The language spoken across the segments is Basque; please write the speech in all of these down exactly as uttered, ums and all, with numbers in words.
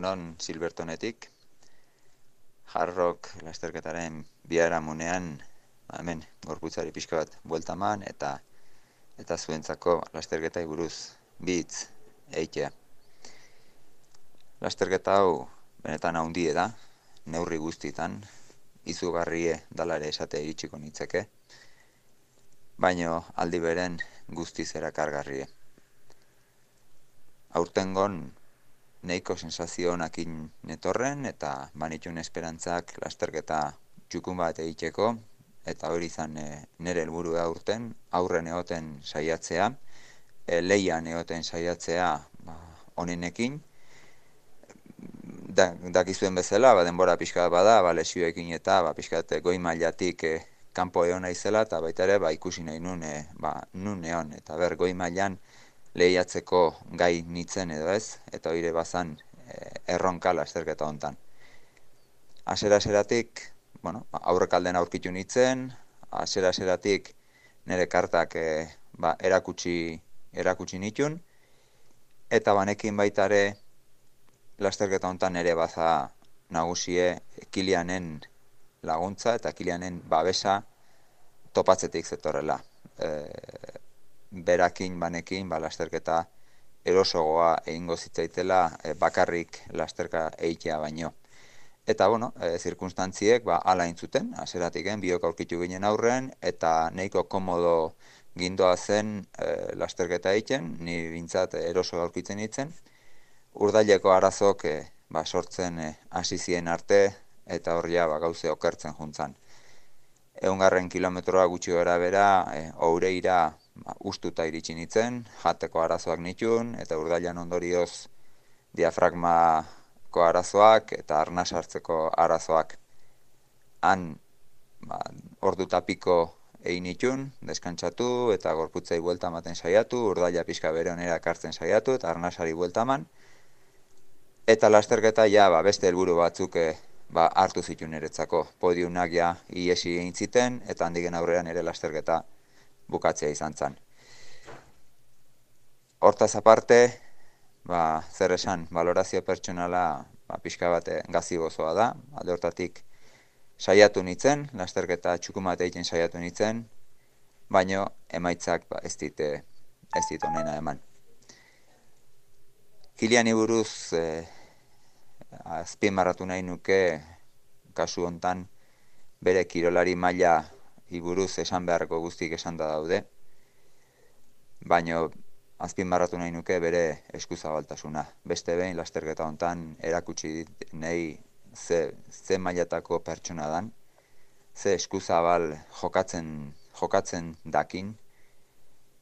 Egunon Silbertonetik, Hard Rock lasterketaren biharamunean, ba, hemen gorputzari pixka bat buelta eman eta eta zuentzako lasterketai buruz bi hitz eitea. Lasterketa hau benetan handia da, neurri guztitan, izugarrie dala ere esate iritsiko nitzeke, baino aldi beren guztiz erakargarrie. Aurtengon nahiko sensazio honakin netorren eta banitun esperantzak lasterketa txukun bat egiteko, eta hori izan e, nire helburua aurten, aurren egoten saiatzea, e, leian egoten saiatzea ba, onenekin, da, dakizuen bezala, ba, denbora pixka bada, ba, lesioekin eta ba, pixka goi mailatik e, kanpo egon naizela, eta baita ere ba, ikusi nahi nun, e, ba, nun egon, eta ber goi mailan lehiatzeko gai nitzen edo ez, eta hori bazan e, erronka lasterketa hontan. Asera-aseratik, bueno, aurrekalden aurkitu nitzen, asera-aseratik nire kartak e, ba, erakutsi, erakutsi nitun, eta banekin baita ere lasterketa hontan ere baza nagusie Kilianen laguntza eta Kilianen babesa topatzetik zetorrela. E, berakin banekin ba, lasterketa erosogoa egingo zitzaitela e, bakarrik lasterka eitea baino. Eta, bueno, e, zirkunstantziek ba, ala intzuten, aseratiken biok aurkitu ginen aurren, eta nahiko komodo gindoa zen e, lasterketa egiten, ni bintzat eroso aurkitzen nintzen. Urdaileko arazok e, ba, sortzen e, hasi zien arte, eta horria ba, gauze okertzen juntzan. Eungarren kilometroa gutxi gara bera, e, oureira ba, ustuta iritsi nintzen, jateko arazoak nitun, eta urdailan ondorioz diafragmako arazoak eta arnas hartzeko arazoak. Han ba, ordu tapiko egin nitun, deskantzatu eta gorputzei buelta ematen saiatu, urdaila pixka bere onera ekartzen saiatu eta arnasari buelta eman. Eta lasterketa ja ba, beste helburu batzuk e, ba, hartu zituen eretzako. Podiunak ja iesi egin ziten, eta handigen aurrean ere lasterketa bukatzea izan zen. Hortaz aparte, ba, zer esan, valorazio pertsonala ba, pixka bat gazi gozoa da, alde hortatik saiatu nitzen, lasterketa txukumat egiten saiatu nitzen, baino emaitzak ba, ez dit, ez dit onena eman. Kiliani buruz e, azpimarratu nahi nuke kasu hontan bere kirolari maila iburuz esan beharreko guztik esan da daude, baino azpimarratu nahi nuke bere eskuzabaltasuna. Beste behin lasterketa hontan erakutsi nahi ze, ze mailatako pertsona dan, ze eskuzabal jokatzen, jokatzen dakin,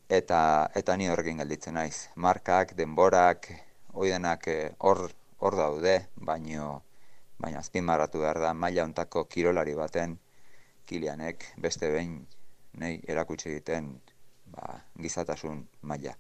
eta, eta ni horrekin gelditzen naiz. Markak, denborak, oidenak hor hor daude, baino, baina azpimarratu behar da, maila hontako kirolari baten Kilianek beste behin nahi erakutsi egiten ba, gizatasun maila.